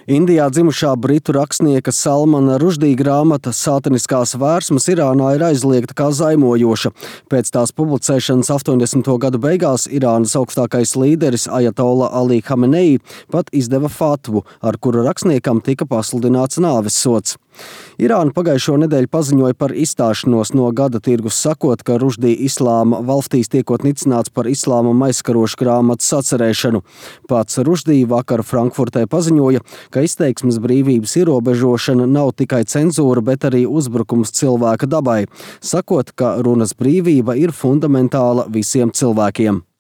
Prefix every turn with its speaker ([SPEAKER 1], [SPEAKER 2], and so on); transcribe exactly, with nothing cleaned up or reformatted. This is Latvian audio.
[SPEAKER 1] Indijā dzimušā britu rakstnieka Salmana Rušdī grāmata Sātaniskās vērsmas Irānā ir aizliegta kā zaimojoša. Pēc tās publicēšanas astoņdesmito gadu beigās Irānas augstākais līderis Ajatola Ali Hamenei pat izdeva fatvu, ar kuru rakstniekam tika pasludināts nāves sods. Irāna pagājušo nedēļu paziņoja par izstāšanos no gada tirgus, sakot, ka Rušdī islāma valstīs tiekot nicināts par islāma aizskarošu grāmatas sacerēšanu. Pats Rušdī vakar Frankfurtē paziņoja, ka izteiksmes brīvības ierobežošana nav tikai cenzūra, bet arī uzbrukums cilvēka dabai, sakot, ka runas brīvība ir fundamentāla visiem cilvēkiem.